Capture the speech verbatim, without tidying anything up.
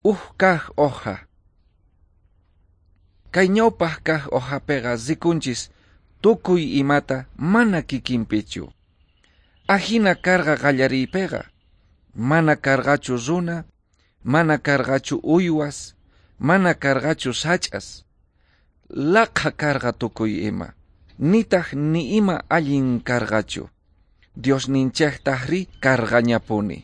Uj kaj hoja. Kay ñawpaj kaj hojapeqa rikunchis tukuy imata mana kikinpichu. Ajina karqa qallariypeqa, mana karqachu runa, mana karqachu uywas, mana karqachu sach'as. Laqha karqa tukuy ima, nitaj ni ima allin karqachu. Diosninchejtajrí karqañapuni.